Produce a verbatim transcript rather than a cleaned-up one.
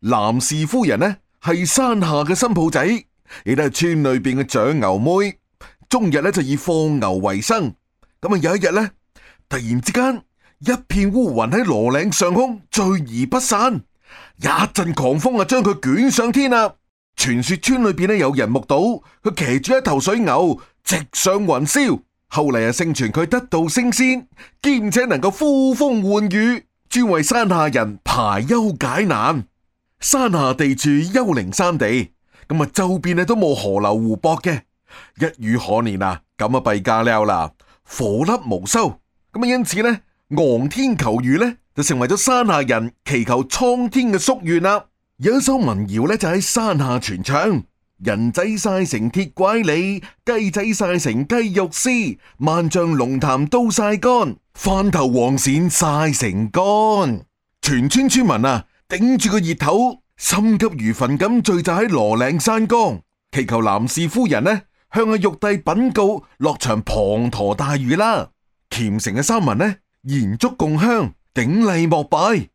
藍氏夫人呢係山下嘅新抱仔，亦都係村裏邊嘅長牛妹，終日咧就以放牛為生。咁啊有一日咧，突然之間一片烏雲喺羅嶺上空聚而不散，一陣狂風啊將佢捲上天啦。傳說村裏邊咧有人目睹佢騎住一頭水牛直上雲霄，後嚟啊盛傳佢得道升仙，兼且能夠呼風喚雨，專為山下人排憂解難。山下地處丘陵山地，咁啊周邊咧都冇河流湖泊嘅，一遇可憐啊，咁啊弊家了啦，顆粒無收。咁啊因此咧，昂天求雨咧就成為咗山下人祈求蒼天嘅夙願啦。有一首民謠咧就喺山下傳唱：人仔曬成鐵拐李，雞仔曬成雞肉絲，萬丈龍潭都曬乾，飯頭黃鱔曬成乾。全村村民啊頂住個熱頭，心急如焚咁聚集喺羅嶺山崗，祈求藍氏夫人呢向阿玉帝稟告落場滂沱大雨啦。虔誠嘅山民呢燃燭供香，頂禮膜拜。